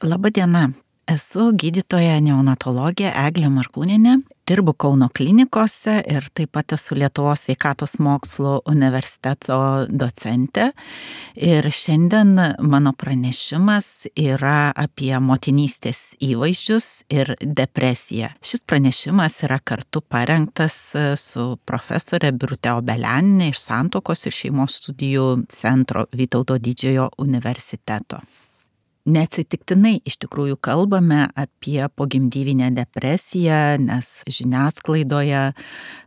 Laba diena. Esu gydytoja neonatologė Eglė Markūnienė, dirbu Kauno klinikose ir taip pat esu Lietuvos sveikatos mokslų universiteto docentė. Ir šiandien mano pranešimas yra apie motinystės įvaizdžius ir depresiją. Šis pranešimas yra kartu parengtas su profesorė Birute Obelianienė iš Santuokos ir šeimos studijų centro Vytauto Didžiojo universiteto. Neatsitiktinai iš tikrųjų kalbame apie pogimdyvinę depresiją, nes žiniasklaidoje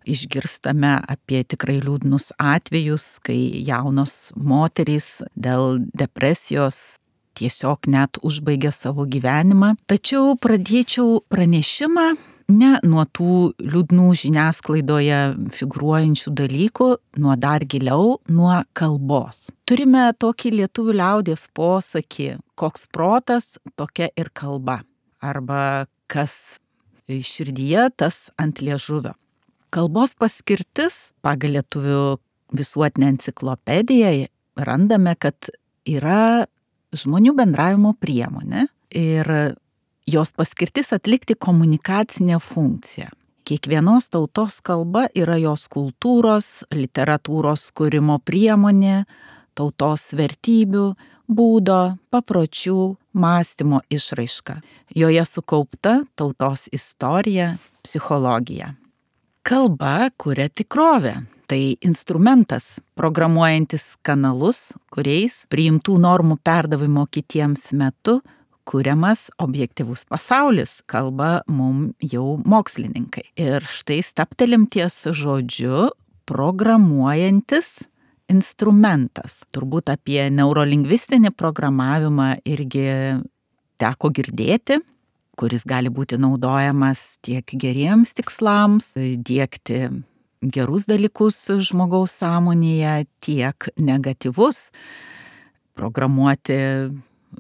išgirstame apie tikrai liūdnus atvejus, kai jaunos moterys dėl depresijos tiesiog net užbaigia savo gyvenimą. Tačiau pradėčiau pranešimą ne nuo tų liūdnų žiniasklaidoje figūruojančių dalykų, nuo dar giliau, nuo kalbos. Turime tokį lietuvių liaudies posakį, koks protas, tokia ir kalba. Arba kas širdyje, tas ant liežuvio. Kalbos paskirtis pagal lietuvių visuotinę enciklopediją randame, kad yra žmonių bendravimo priemonė ir jos paskirtis atlikti komunikacinę funkciją. Kiekvienos tautos kalba yra jos kultūros, literatūros kūrimo priemonė, tautos vertybių, būdo, papročių, mąstymo išraiška. Joje sukaupta tautos istorija, psichologija. Kalba kuria tikrovę. Tai instrumentas, programuojantis kanalus, kuriais priimtų normų perdavimo kitiems metu kuriamas objektyvus pasaulis, kalba mum jau mokslininkai. Ir štai stabtelim ties žodžiu programuojantis instrumentas. Turbūt apie neurolingvistinį programavimą irgi teko girdėti, kuris gali būti naudojamas tiek geriems tikslams, diegti gerus dalykus žmogaus sąmonėje, tiek negatyvus, programuoti,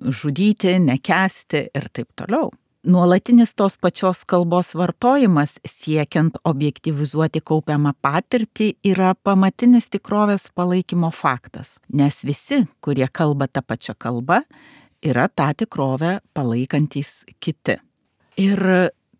žudyti, nekęsti ir taip toliau. Nuolatinis tos pačios kalbos vartojimas siekiant objektyvizuoti kaupiamą patirtį yra pamatinis tikrovės palaikymo faktas, nes visi, kurie kalba tą pačią kalbą, yra tą tikrovę palaikantys kiti. Ir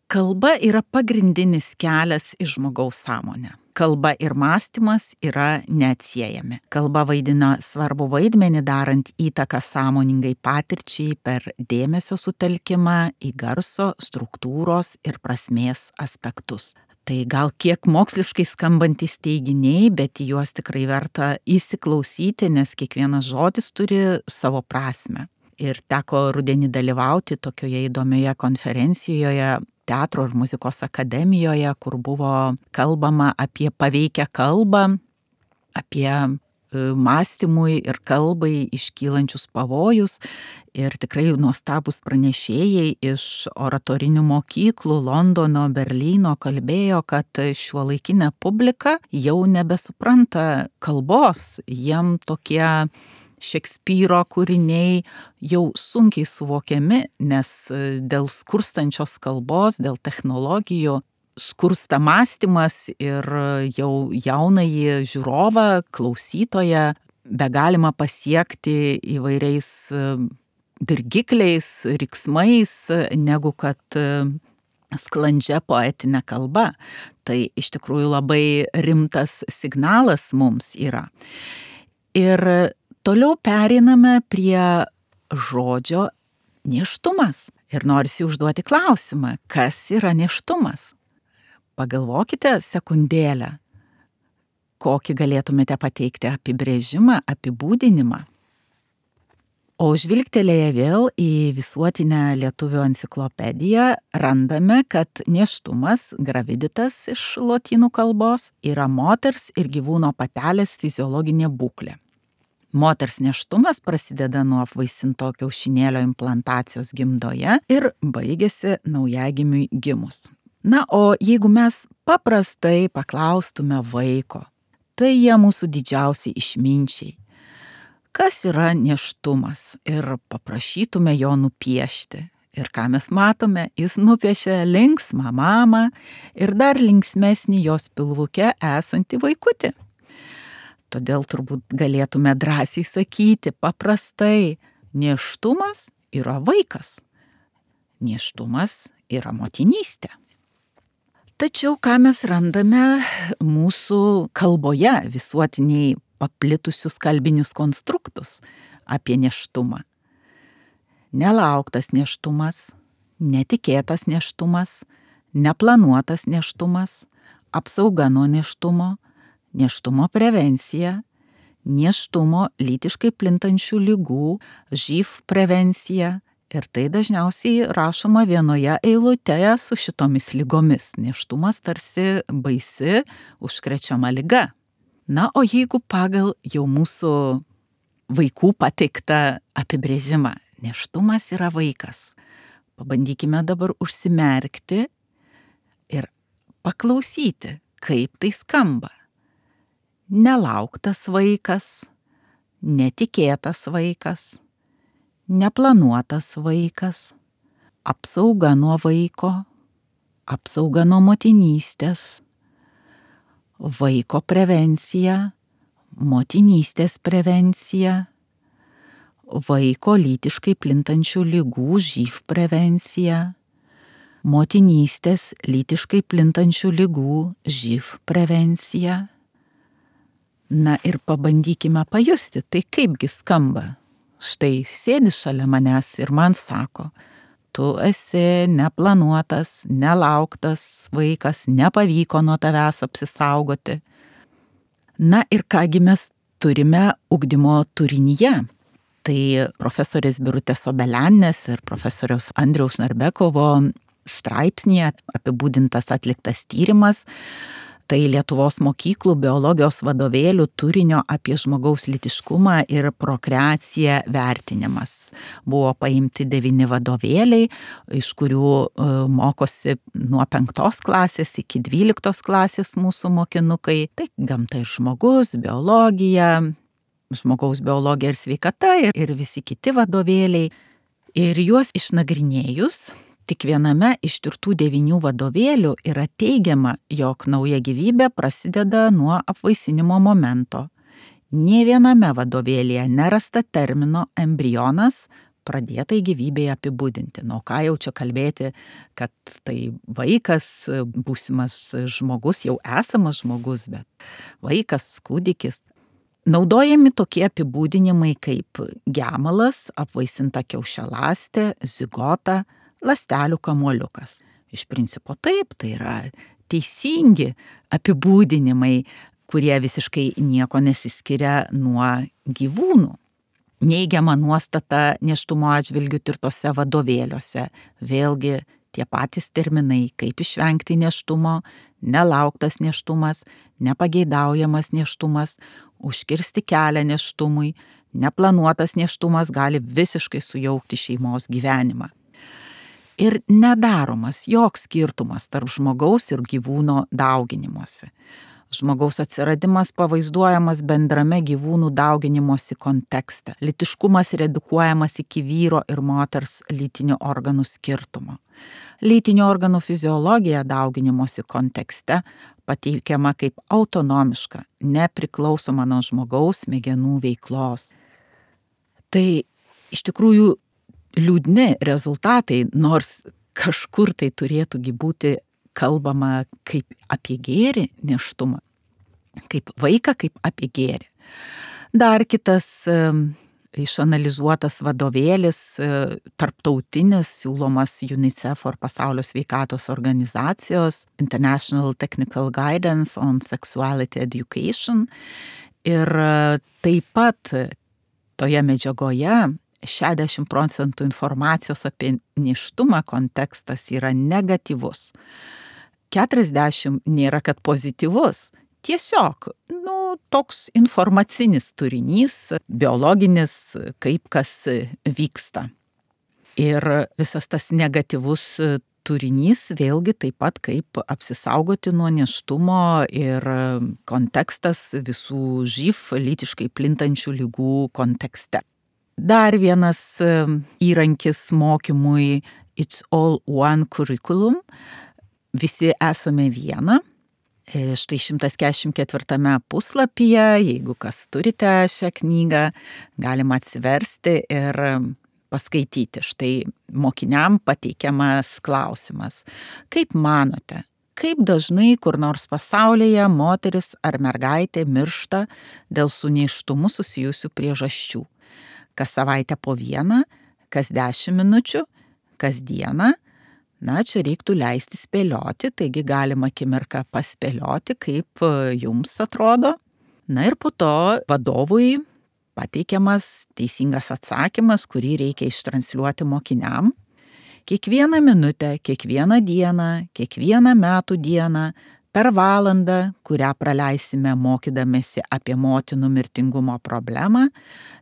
kalba yra pagrindinis kelias į žmogaus sąmonę. Kalba ir mąstymas yra neatsiejami. Kalba vaidina svarbu vaidmenį darant įtaką sąmoningai patirčiai per dėmesio sutelkimą į garso, struktūros ir prasmės aspektus. Tai gal kiek moksliškai skambantys teiginiai, bet į juos tikrai verta įsiklausyti, nes kiekvienas žodis turi savo prasmę. Ir teko rudenį dalyvauti tokioje įdomioje konferencijoje Teatro ir muzikos akademijoje, kur buvo kalbama apie paveikią kalbą, apie mąstymui ir kalbai iškylančius pavojus. Ir tikrai nuostabus pranešėjai iš oratorinių mokyklų Londono, Berlyno kalbėjo, kad šiuolaikinė publika jau nebesupranta kalbos, jiem tokie Šekspyro kūriniai jau sunkiai suvokiami, nes dėl skurstančios kalbos, dėl technologijų skursta mąstymas ir jau jaunąjį žiūrovą, klausytoją begalima pasiekti įvairiais dirgikliais, riksmais, negu kad sklandžia poetinė kalba. Tai iš tikrųjų labai rimtas signalas mums yra. Ir toliau pereiname prie žodžio nėštumas. Ir norisi užduoti klausimą, kas yra nėštumas? Pagalvokite sekundėlę, kokį galėtumėte pateikti apibrėžimą, apibūdinimą. O žvilgtelėję vėl į visuotinę lietuvių enciklopediją, randame, kad nėštumas, graviditas iš lotynų kalbos, yra moters ir gyvūno patelės fiziologinė būklė. Moters nėštumas prasideda nuo apvaisinto kiaušinėlio implantacijos gimdoje ir baigiasi naujagimiui gimus. Na, o jeigu mes paprastai paklaustume vaiko, tai jie mūsų didžiausiai išminčiai. Kas yra nėštumas? Ir paprašytume jo nupiešti. Ir ką mes matome, jis nupiešia linksmą mamą ir dar linksmesnį jos pilvuke esantį vaikutį. Todėl turbūt galėtume drąsiai sakyti paprastai, nėštumas yra vaikas. Nėštumas yra motinystė. Tačiau ką mes randame mūsų kalboje, visuotiniai paplitusius kalbinius konstruktus apie nėštumą. Nelauktas nėštumas, netikėtas nėštumas, neplanuotas nėštumas, apsauga nuo nėštumo, nėštumo prevencija, nėštumo lytiškai plintančių ligų, živ prevencija. Ir tai dažniausiai rašoma vienoje eilutėje su šitomis ligomis. Nėštumas tarsi baisi, užkrečiama liga. Na, o jeigu pagal jau mūsų vaikų pateiktą apibrėžimą, nėštumas yra vaikas, pabandykime dabar užsimerkti ir paklausyti, kaip tai skamba. Nelauktas vaikas, netikėtas vaikas, neplanuotas vaikas, apsauga nuo vaiko, apsauga nuo motinystės, vaiko prevencija, motinystės prevencija, vaiko lytiškai plintančių ligų živ prevencija, motinystės lytiškai plintančių ligų živ prevencija. Na ir pabandykime pajusti, tai kaipgi skamba. Štai sėdi šalia manęs ir man sako, tu esi neplanuotas, nelauktas vaikas, nepavyko nuo tavęs apsisaugoti. Na ir kągi mes turime ugdymo turinyje. Tai profesorės Birutės Obelianės ir profesoriaus Andriaus Narbekovo straipsnėje apibūdintas atliktas tyrimas. Tai Lietuvos mokyklų biologijos vadovėlių turinio apie žmogaus lytiškumą ir prokreaciją vertinimas. Buvo paimti 9 vadovėliai, iš kurių mokosi nuo 5 klasės iki 12 klasės mūsų mokinukai. Tai gamta ir žmogus, biologija, žmogaus biologija ir sveikata ir visi kiti vadovėliai. Ir juos išnagrinėjus, tik viename iš tirtų 9 vadovėlių yra teigiama, jog nauja gyvybė prasideda nuo apvaisinimo momento. Nė viename vadovėlyje nerasta termino embrionas pradėtai gyvybei apibūdinti. Nu, ką jau čia kalbėti, kad tai vaikas, būsimas žmogus, jau esamas žmogus, bet vaikas, kūdikis. Naudojami tokie apibūdinimai kaip gemalas, apvaisinta kiaušialąstė, zigota, ląstelių kamuoliukas. Iš principo taip, tai yra teisingi apibūdinimai, kurie visiškai nieko nesiskiria nuo gyvūnų. Neigiama nuostata nėštumo atžvilgiu tirtose vadovėliuose. Vėlgi tie patys terminai, kaip išvengti nėštumo, nelauktas nėštumas, nepageidaujamas nėštumas, užkirsti kelią nėštumui, neplanuotas nėštumas gali visiškai sujaukti šeimos gyvenimą. Ir nedaromas joks skirtumas tarp žmogaus ir gyvūno dauginimuose. Žmogaus atsiradimas pavaizduojamas bendrame gyvūnų dauginimosi kontekste. Lytiškumas redukuojamas iki vyro ir moters lytinių organų skirtumo. Lytinių organų fiziologija dauginimosi kontekste pateikiama kaip autonomiška, nepriklausoma nuo žmogaus smegenų veiklos. Tai iš tikrųjų liūdni rezultatai, nors kažkur tai turėtų būti kalbama kaip apie gėrį nėštumą, kaip vaiką, kaip apie gėrį. Dar kitas išanalizuotas vadovėlis, tarptautinis, siūlomas UNICEF ar Pasaulio sveikatos organizacijos International Technical Guidance on Sexuality Education. Ir taip pat toje medžiagoje 60% informacijos apie nėštumą kontekstas yra negatyvus. 40% nėra, kad pozityvus. Tiesiog, toks informacinis turinys, biologinis, kaip kas vyksta. Ir visas tas negatyvus turinys vėlgi taip pat kaip apsisaugoti nuo nėštumo ir kontekstas visų živ lytiškai plintančių ligų kontekste. Dar vienas įrankis mokymui It's All One Curriculum. Visi esame viena. Štai 144 puslapyje, jeigu kas turite šią knygą, galima atsiversti ir paskaityti. Štai mokiniam pateikiamas klausimas. Kaip manote, kaip dažnai kur nors pasaulyje moteris ar mergaitė miršta dėl su nėštumu susijusių priežasčių? Kas savaitę po vieną, kas 10 minučių, kas dieną? Na, čia reiktų leisti spėlioti, taigi galima akimirką paspėlioti, kaip jums atrodo. Na ir po to vadovui pateikiamas teisingas atsakymas, kurį reikia ištransliuoti mokiniam. Kiekvieną minutę, kiekvieną dieną, kiekvieną metų dieną, per valandą, kurią praleisime mokydamėsi apie motinų mirtingumo problemą,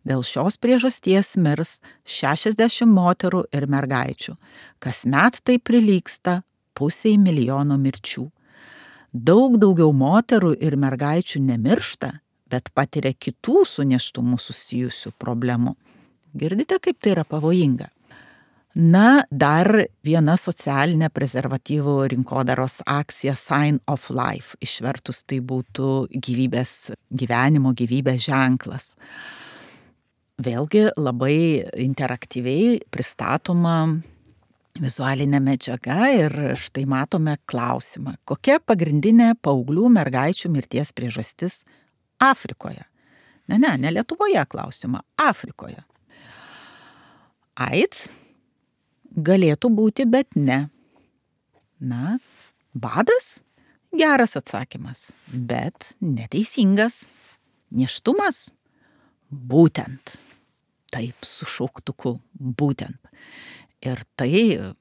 dėl šios priežasties mirs 60 moterų ir mergaičių. Kasmet tai prilygsta 500 000 mirčių. Daug daugiau moterų ir mergaičių nemiršta, bet patiria kitų su nėštumu susijusių problemų. Girdite, kaip tai yra pavojinga? Na, dar viena socialinė prezervatyvų rinkodaros akcija Sign of Life. Išvertus tai būtų gyvenimo gyvybės ženklas. Vėlgi labai interaktyviai pristatoma vizualinė medžiaga ir štai matome klausimą. Kokia pagrindinė paauglių mergaičių mirties priežastis Afrikoje? Ne Lietuvoje klausimą, Afrikoje. AIDS? Galėtų būti, bet ne. Na, badas? Geras atsakymas, bet neteisingas. Nėštumas? Būtent. Taip, su šauktuku, būtent. Ir tai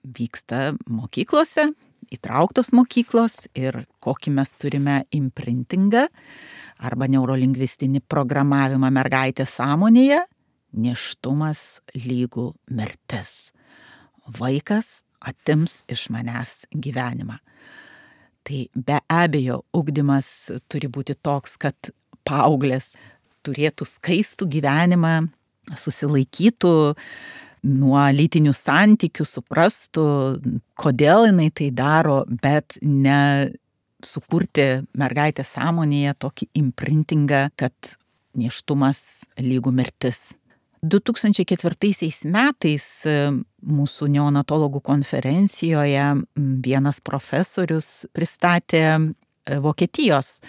vyksta mokyklose, įtrauktos mokyklos ir kokį mes turime imprintingą arba neurolingvistinį programavimą mergaitės sąmonėje, nėštumas lygu mirtis. Vaikas atims iš manęs gyvenimą. Tai be abejo, ugdymas turi būti toks, kad paauglės turėtų skaistų gyvenimą, susilaikytų nuo lytinių santykių, suprastų, kodėl jinai tai daro, bet ne sukurti mergaitės sąmonėje tokį imprintingą, kad nėštumas lygu mirtis. 2004 metais mūsų neonatologų konferencijoje vienas profesorius pristatė Vokietijos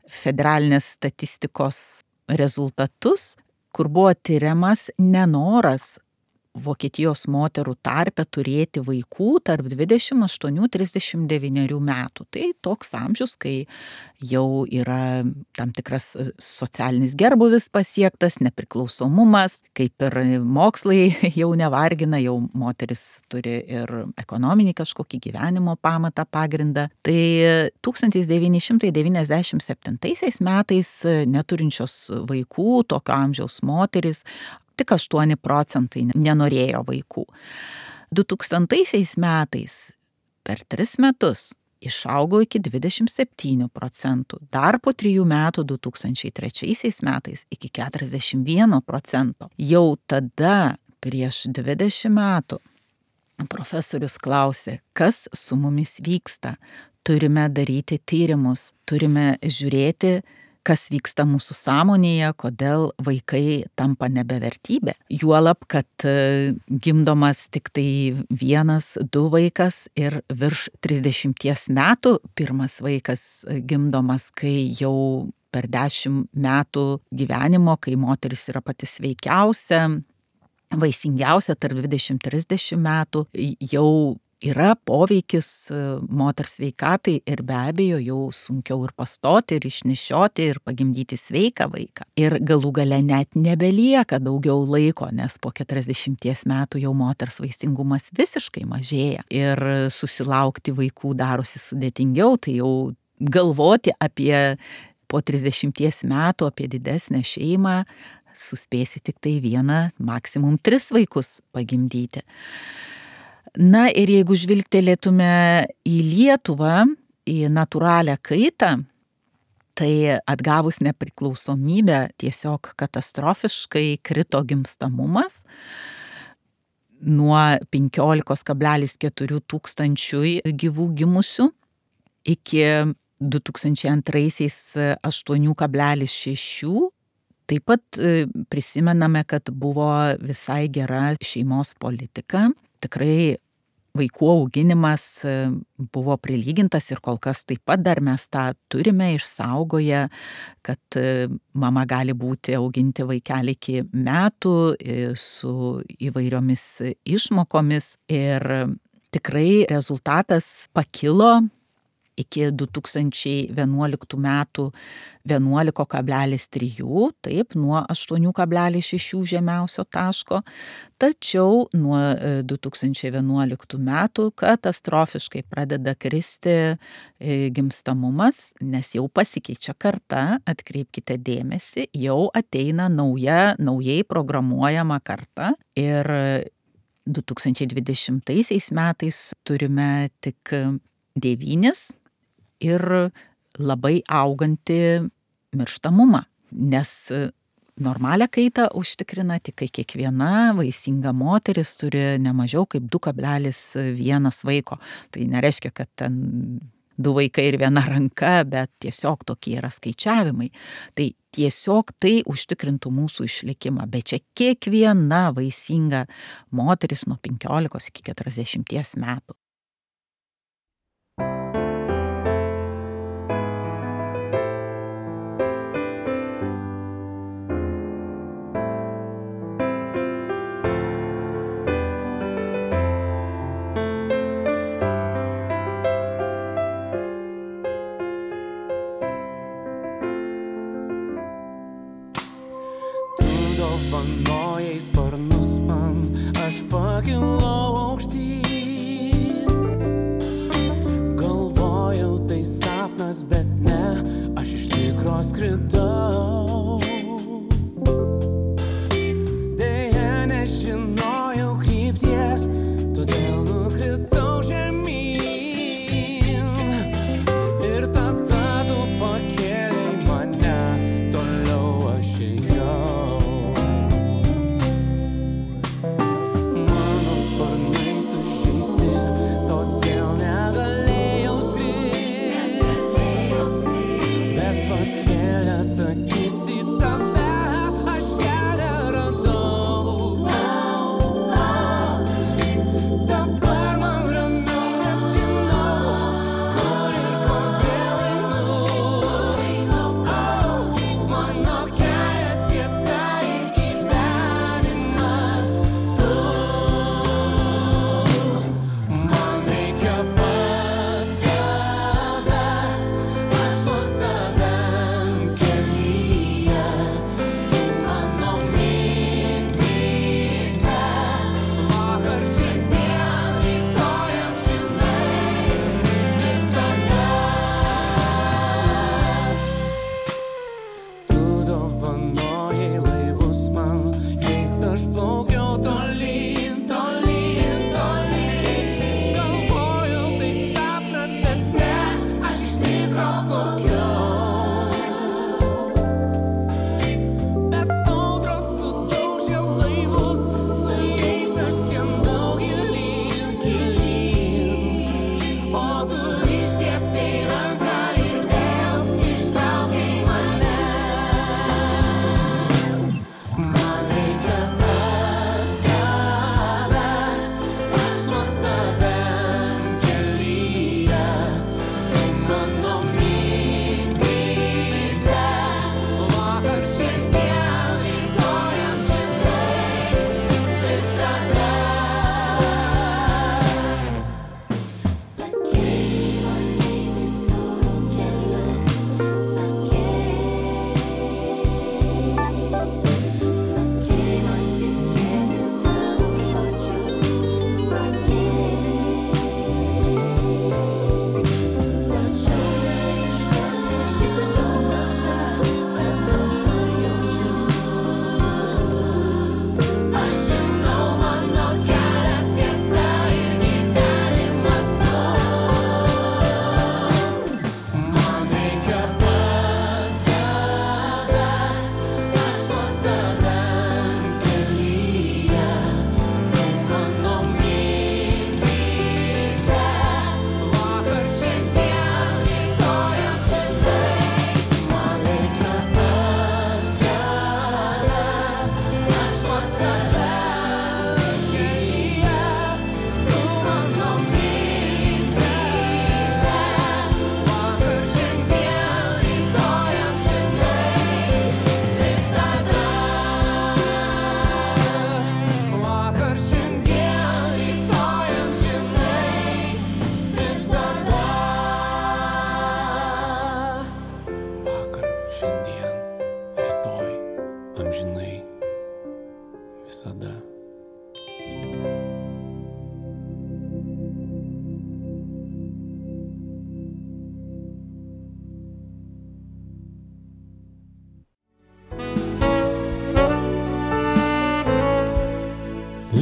federalinės statistikos rezultatus, kur buvo tyriamas nenoras Vokietijos moterų tarpe turėti vaikų tarp 28-39 metų. Tai toks amžius, kai jau yra tam tikras socialinis gerbūvis pasiektas, nepriklausomumas, kaip ir mokslai jau nevargina, jau moteris turi ir ekonominį kažkokį gyvenimo pamatą, pagrindą. Tai 1997 metais neturinčios vaikų, tokio amžiaus moteris, tik 8% nenorėjo vaikų. 2000 metais per 3 metus išaugo iki 27%, dar po 3 metų 2003 metais iki 41%. Jau tada, prieš 20 metų, profesorius klausė, kas su mumis vyksta. Turime daryti tyrimus, turime žiūrėti, kas vyksta mūsų sąmonėje, kodėl vaikai tampa nebevertybė. Juolab, kad gimdomas tik tai 1-2 vaikas ir virš 30 metų pirmas vaikas gimdomas, kai jau per 10 metų gyvenimo, kai moteris yra pati sveikiausia, vaisingiausia tarp 20-30 metų, jau yra poveikis moters sveikatai ir be abejo jau sunkiau ir pastoti, ir išnešioti, ir pagimdyti sveiką vaiką. Ir galų gale net nebelieka daugiau laiko, nes po 40 metų jau moters vaisingumas visiškai mažėja. Ir susilaukti vaikų darosi sudėtingiau, tai jau galvoti apie po 30 metų, apie didesnę šeimą, suspėsi tik tai 1, maksimum 3 vaikus pagimdyti. Na ir jeigu žvilgtelėtume į Lietuvą, į natūralią kaitą, tai atgavus nepriklausomybę tiesiog katastrofiškai krito gimstamumas nuo 15,4 tūkstančių gyvų gimusių iki 2002 8,6 Taip pat prisimename, kad buvo visai gera šeimos politika. Tikrai vaikų auginimas buvo prilygintas ir kol kas taip pat dar mes tą turime išsaugoję, kad mama gali auginti vaikelį iki metų su įvairiomis išmokomis ir tikrai rezultatas pakilo iki 2011 metų 11,3, taip, nuo 8,6 žemiausio taško, tačiau nuo 2011 metų katastrofiškai pradeda kristi gimstamumas, nes jau pasikeičia karta, atkreipkite dėmesį, jau ateina naujai programuojama karta ir 2020 metais turime tik 9 ir labai augantį mirštamumą, nes normalią kaitą užtikrina tik kai kiekviena vaisinga moteris turi ne mažiau kaip 2,1 vaiko. Tai nereiškia, kad ten 2 vaikai ir 1 ranka, bet tiesiog tokie yra skaičiavimai. Tai tiesiog tai užtikrintų mūsų išlikimą, bet čia kiekviena vaisinga moteris nuo 15 iki 40 metų. Dovanojai sparnus man, aš pakilau aukštyn. Galvojau tai sapnas, bet ne, aš iš tikro skridau. Deja nežinojau krypties, todėl nukritau žemyn. Ir tada tu pakėlei mane, toliau aš ėjau.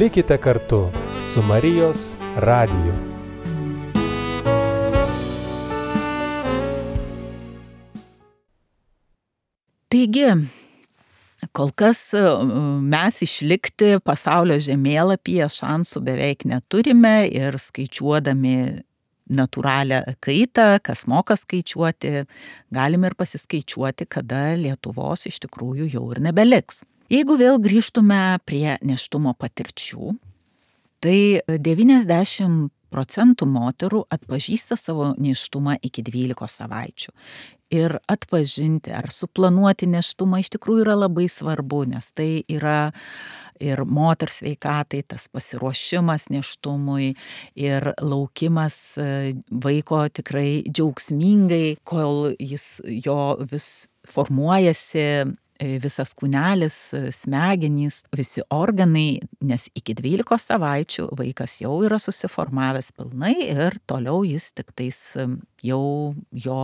Likite kartu su Marijos radiju. Taigi, kol kas mes išlikti pasaulio žemėlapyje šansų beveik neturime ir skaičiuodami natūralią kaitą, kas moka skaičiuoti, galim ir pasiskaičiuoti, kada Lietuvos iš tikrųjų jau ir nebeliks. Jeigu vėl grįžtume prie nėštumo patirčių, tai 90% moterų atpažįsta savo nėštumą iki 12 savaičių. Ir atpažinti ar suplanuoti nėštumą iš tikrųjų yra labai svarbu, nes tai yra ir moters sveikatai, tas pasiruošimas nėštumui ir laukimas vaiko tikrai džiaugsmingai, kol jo vis formuojasi visas kūnelis, smegenys, visi organai, nes iki 12 savaičių vaikas jau yra susiformavęs pilnai ir toliau jis tiktais jau jo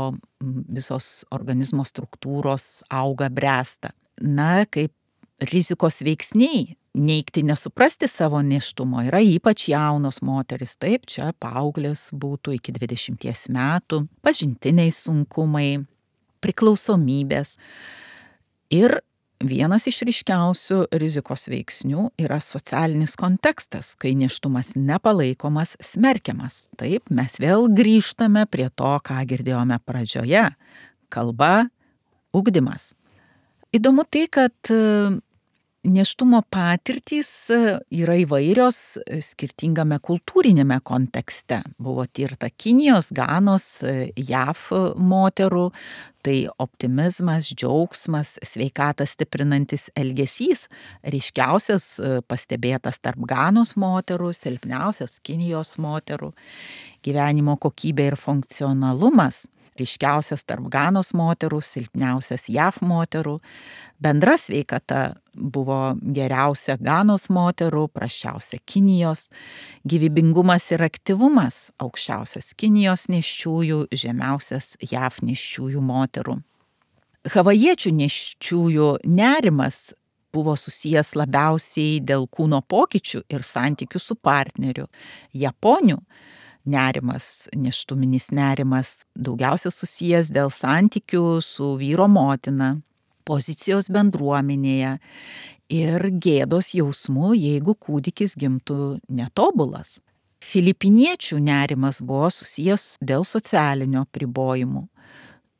visos organizmo struktūros auga, bręsta. Na, kaip rizikos veiksniai, neigti, nesuprasti savo nėštumo yra ypač jaunos moteris, taip, čia paauglės būtų iki 20 metų, pažintiniai sunkumai, priklausomybės. Ir vienas iš ryškiausių rizikos veiksnių yra socialinis kontekstas, kai nėštumas nepalaikomas, smerkiamas. Taip, mes vėl grįžtame prie to, ką girdėjome pradžioje. Kalba, ugdymas. Įdomu tai, kad nėštumo patirtys yra įvairios skirtingame kultūrinėme kontekste. Buvo tirta Kinijos, Ganos, JAV moterų, tai optimizmas, džiaugsmas, sveikatą stiprinantis elgesys, ryškiausias pastebėtas tarp Ganos moterų, silpniausias Kinijos moterų, gyvenimo kokybė ir funkcionalumas, ryškiausias tarp Ganos moterų, silpniausias JAV moterų, bendra sveikata buvo geriausia Ganos moterų, prasčiausia Kinijos, gyvybingumas ir aktyvumas aukščiausias Kinijos nėščiųjų, žemiausias JAV nėščiųjų moterų. Havajiečių nėščiųjų nerimas buvo susijęs labiausiai dėl kūno pokyčių ir santykių su partneriu. Japonių nerimas, nėštuminis nerimas daugiausia susijęs dėl santykių su vyro motina, pozicijos bendruomenėje ir gėdos jausmų, jeigu kūdikis gimtų netobulas. Filipiniečių nerimas buvo susijęs dėl socialinio apribojimų.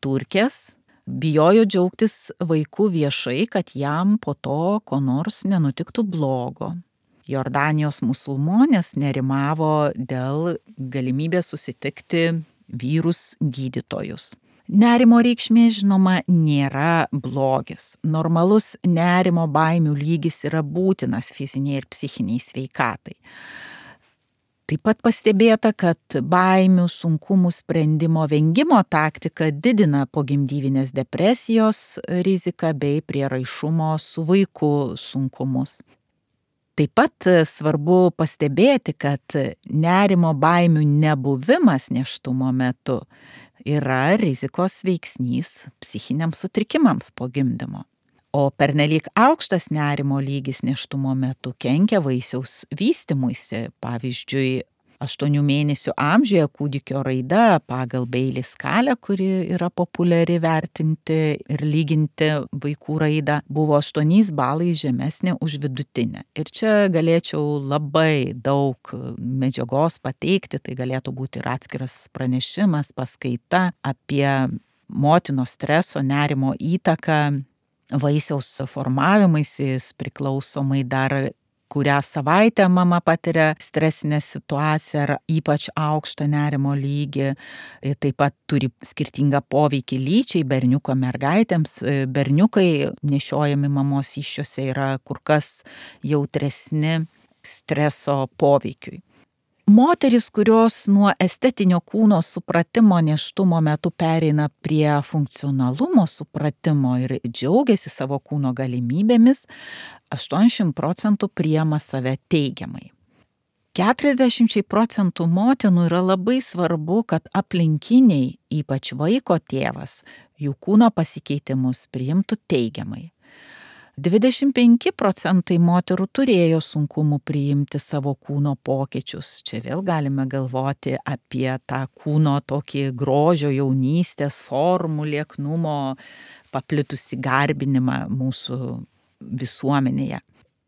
Turkės bijojo džiaugtis vaiku viešai, kad jam po to ko nors nenutiktų blogo. Jordanijos musulmonės nerimavo dėl galimybės susitikti vyrus gydytojus. Nerimo reikšmė, žinoma, nėra blogis. Normalus nerimo baimių lygis yra būtinas fiziniai ir psichiniai sveikatai. Taip pat pastebėta, kad baimių, sunkumų sprendimo vengimo taktika didina pogimdyvinės depresijos riziką bei prieraišumo su vaiku sunkumus. Taip pat svarbu pastebėti, kad nerimo baimių nebuvimas nėštumo metu yra rizikos veiksnys psichiniams sutrikimams po gimdymo. O pernelyg aukštas nerimo lygis nėštumo metu kenkia vaisiaus vystymuisi, pavyzdžiui, 8 mėnesių amžiuje kūdikio raida pagal Bailey skalę, kuri yra populiari vertinti ir lyginti vaikų raidą, buvo 8 balais žemesnė už vidutinę. Ir čia galėčiau labai daug medžiagos pateikti, tai galėtų būti ir atskiras pranešimas, paskaita apie motinos streso, nerimo įtaką vaisiaus formavimaisi, priklausomai dar kurią savaitę mama patiria stresinę situaciją ar ypač aukštą nerimo lygį. Taip pat turi skirtingą poveikį lyčiai, berniuko mergaitėms. Berniukai nešiojami mamos įsčiose yra kur kas jautresni streso poveikiui. Moterys, kurios nuo estetinio kūno supratimo nėštumo metu pereina prie funkcionalumo supratimo ir džiaugiasi savo kūno galimybėmis, 80% priima save teigiamai. 40% motinų yra labai svarbu, kad aplinkiniai, ypač vaiko tėvas, jų kūno pasikeitimus priimtų teigiamai. 25% moterų turėjo sunkumų priimti savo kūno pokyčius. Čia vėl galime galvoti apie tą kūno tokį grožio, jaunystės, formų, lieknumo, paplitusi garbinimą mūsų visuomenėje.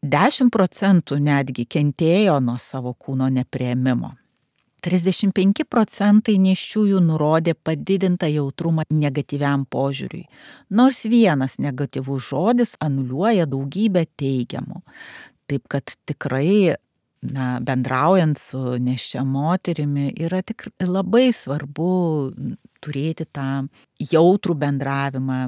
10% netgi kentėjo nuo savo kūno nepriėmimo. 35% nėščiųjų nurodė padidintą jautrumą negatyviam požiūriui, nors vienas negatyvus žodis anuliuoja daugybę teigiamų. Taip kad tikrai, bendraujant su nėščia moterimi, yra labai svarbu turėti tą jautrų bendravimą,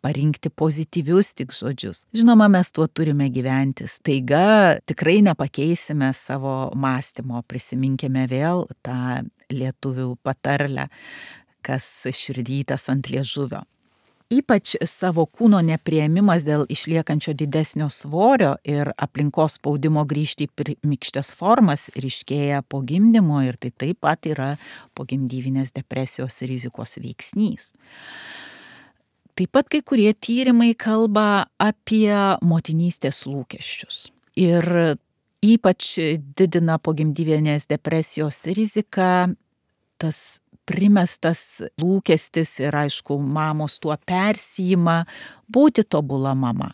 parinkti pozityvius tik žodžius. Žinoma, mes tuo turime gyventi. Staiga tikrai nepakeisime savo mąstymo. Prisiminkime vėl tą lietuvių patarlę, kas širdytas ant liežuvio. Ypač savo kūno nepriėmimas dėl išliekančio didesnio svorio ir aplinkos spaudimo grįžti į pirmykštes formas ryškėja po gimdymo ir tai taip pat yra pogimdyvinės depresijos rizikos veiksnys. Taip pat kai kurie tyrimai kalba apie motinystės lūkesčius ir ypač didina pogimdyvinės depresijos riziką tas primestas lūkestis ir aišku, mamos tuo persijima būti tobula mama.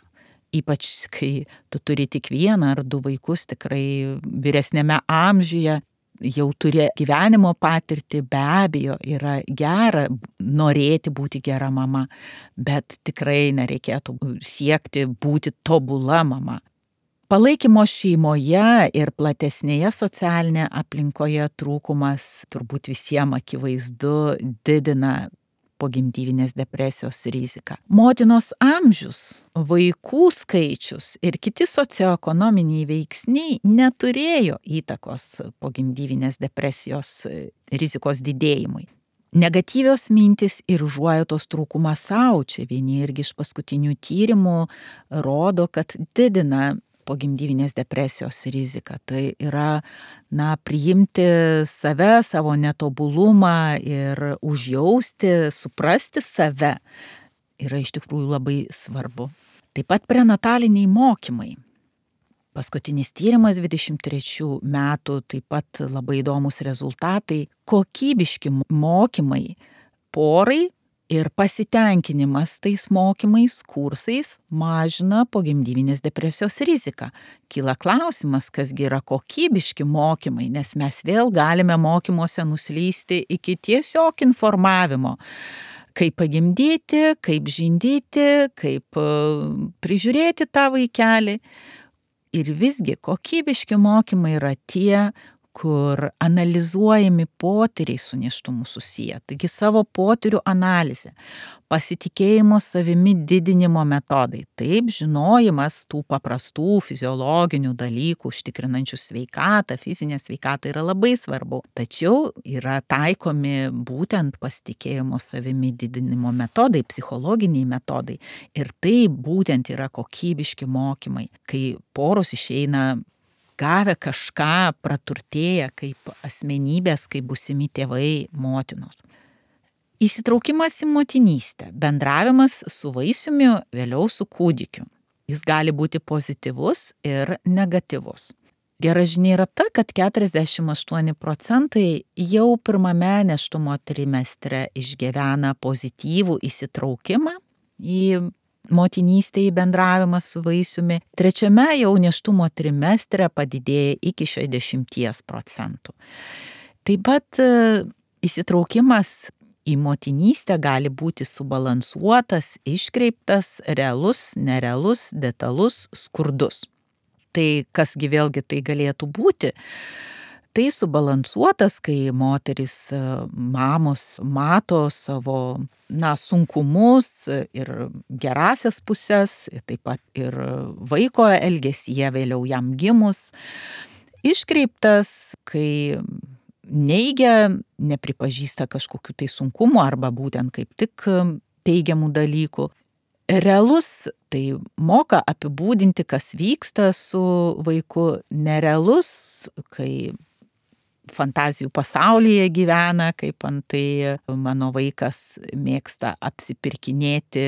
Ypač kai tu turi tik vieną ar du vaikus, tikrai vyresnėme amžiuje, jau turi gyvenimo patirtį, be abejo, yra gera norėti būti gera mama, bet tikrai nereikėtų siekti būti tobula mama. Palaikymo šeimoje ir platesnėje socialinėje aplinkoje trūkumas turbūt visiems akivaizdu didina pogimdyvinės depresijos riziką. Motinos amžius, vaikų skaičius ir kiti socioekonominiai veiksniai neturėjo įtakos pogimdyvinės depresijos rizikos didėjimui. Negatyvios mintys ir užuojautos trūkumas sau, čia vieni irgi iš paskutinių tyrimų rodo, kad didina pogimdyvinės depresijos riziką. Tai yra, priimti save, savo netobulumą ir užjausti, suprasti save yra iš tikrųjų labai svarbu. Taip pat prenataliniai mokymai. Paskutinis tyrimas 23 metų, taip pat labai įdomus rezultatai. Kokybiški mokymai porai ir pasitenkinimas tais mokymais, kursais mažina pogimdyvinės depresijos riziką. Kyla klausimas, kasgi yra kokybiški mokymai, nes mes vėl galime mokymuose nuslysti iki tiesiog informavimo. Kaip pagimdyti, kaip žindyti, kaip prižiūrėti tą vaikelį. Ir visgi kokybiški mokymai yra tie, kur analizuojami potyriai su nėštumu susiję. Taigi savo potyrių analizė, pasitikėjimo savimi didinimo metodai. Taip, žinojimas tų paprastų fiziologinių dalykų, užtikrinančių sveikatą, fizinę sveikatą yra labai svarbu. Tačiau yra taikomi būtent pasitikėjimo savimi didinimo metodai, psichologiniai metodai. Ir tai būtent yra kokybiški mokymai, kai poros išeina gavę kažką, praturtėję kaip asmenybės, kaip būsimi tėvai, motinos. Įsitraukimas į motinystę, bendravimas su vaisiumi, vėliau su kūdikiu. Jis gali būti pozityvus ir negatyvus. Gera žinia yra ta, kad 48% jau pirmame nėštumo trimestre išgyvena pozityvų įsitraukimą į motinystė, į bendravimą su vaisiumi. Trečiame jau nėštumo trimestre padidėja iki 60%. Taip pat įsitraukimas į motinystę gali būti subalansuotas, iškreiptas, realus, nerealus, detalus, skurdus. Tai kasgi vėlgi tai galėtų būti? Tai subalansuotas, kai moterys, mamos mato savo sunkumus ir gerasias puses, taip pat ir vaiko elgesyje vėliau jam gimus. Iškreiptas, kai neigia, nepripažįsta kažkokių tai sunkumų arba būtent kaip tik teigiamų dalykų. Realus, tai moka apibūdinti, kas vyksta su vaiku. Nerealus, kai fantazijų pasaulyje gyvena, kaip antai mano vaikas mėgsta apsipirkinėti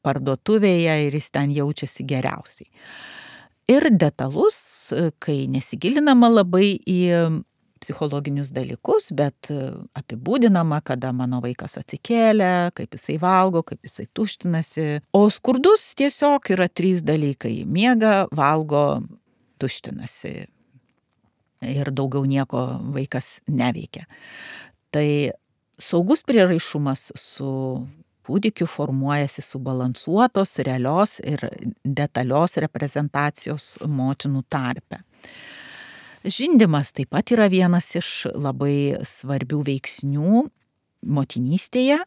parduotuvėje ir jis ten jaučiasi geriausiai. Ir detalus, kai nesigilinama labai į psichologinius dalykus, bet apibūdinama, kada mano vaikas atsikėlė, kaip jisai valgo, kaip jisai tuštinasi. O skurdus tiesiog yra 3 dalykai: miega, valgo, tuštinasi. Ir daugiau nieko vaikas neveikia. Tai saugus prieraišumas su kūdikiu formuojasi subalansuotos, realios ir detalios reprezentacijos motinų tarpe. Žindymas taip pat yra vienas iš labai svarbių veiksnių motinystėje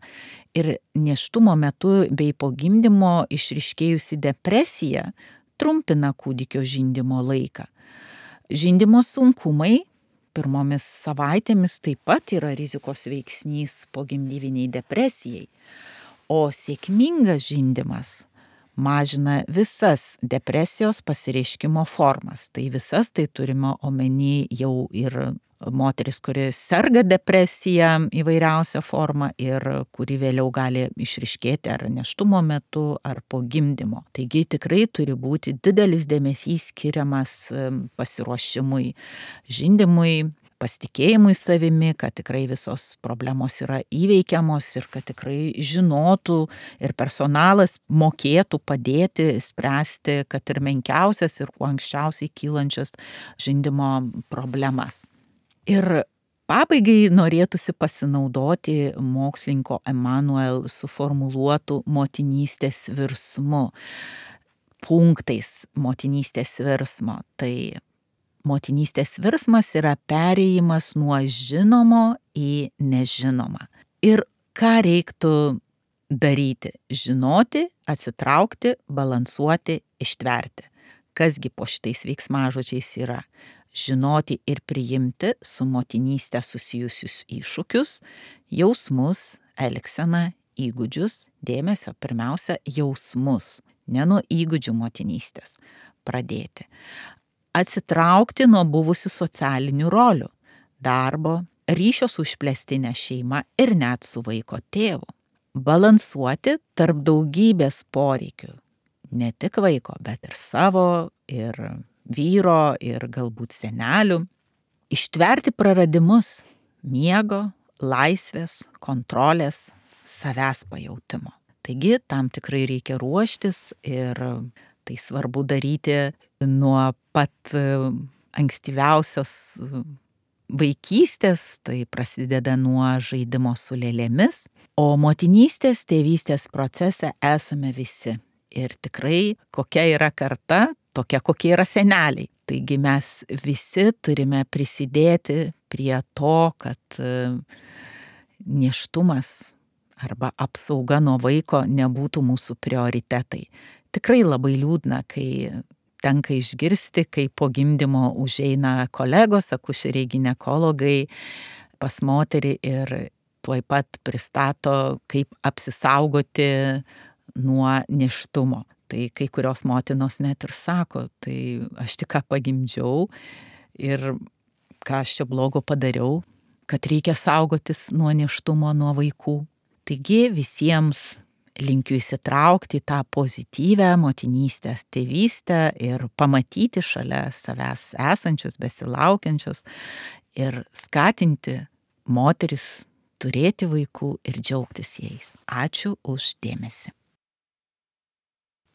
ir nėštumo metu bei po gimdymo išryškėjusi depresija trumpina kūdikio žindymo laiką. Žindymo sunkumai pirmomis savaitėmis taip pat yra rizikos veiksnys pogimdyviniai depresijai, o sėkmingas žindymas mažina visas depresijos pasireiškimo formas. Tai visas tai turime omeny jau ir moteris, kuri serga depresija įvairiausią formą ir kuri vėliau gali išryškėti ar nėštumo metu, ar po gimdymo. Taigi tikrai turi būti didelis dėmesys skiriamas pasiruošimui žindymui, pasitikėjimui savimi, kad tikrai visos problemos yra įveikiamos ir kad tikrai žinotų ir personalas mokėtų padėti spręsti, kad ir menkiausias ir kuo anksčiausiai kylančias žindymo problemas. Ir pabaigai norėtųsi pasinaudoti mokslininko Emanuel suformuluotų motinystės virsmu, punktais motinystės virsmo. Tai motinystės virsmas yra perėjimas nuo žinomo į nežinomą. Ir ką reiktų daryti? Žinoti, atsitraukti, balansuoti, ištverti. Kasgi po šitais veiksmažodžiais yra? Žinoti ir priimti su motinystė susijusius iššūkius, jausmus, elgseną, įgūdžius, dėmesio pirmiausia jausmus, ne nuo įgūdžių motinystės pradėti. Atsitraukti nuo buvusių socialinių rolių, darbo, ryšio su išplėstinė šeima ir net su vaiko tėvu. Balansuoti tarp daugybės poreikių, ne tik vaiko, bet ir savo, ir vyro, ir galbūt senelių. Ištverti praradimus miego, laisvės, kontrolės, savęs pajautimo. Taigi tam tikrai reikia ruoštis ir tai svarbu daryti nuo pat ankstyviausios vaikystės, tai prasideda nuo žaidimo su lėlėmis, o motinystės, tėvystės procese esame visi. Ir tikrai kokia yra karta, tokia kokie yra seneliai. Taigi mes visi turime prisidėti prie to, kad nėštumas arba apsauga nuo vaiko nebūtų mūsų prioritetai. Tikrai labai liūdna, kai tenka išgirsti, kai po gimdymo užeina kolegos, akušeriai, ginekologai pas moterį ir tuoj pat pristato, kaip apsisaugoti nuo nėštumo. Tai kai kurios motinos net ir sako, tai aš tik ką pagimdžiau ir ką aš čia blogo padariau, kad reikia saugotis nuo nėštumo, nuo vaikų. Taigi visiems linkiu įsitraukti į tą pozityvę motinystės tėvystę ir pamatyti šalia savęs esančius, besilaukiančius ir skatinti moteris turėti vaikų ir džiaugtis jais. Ačiū už dėmesį.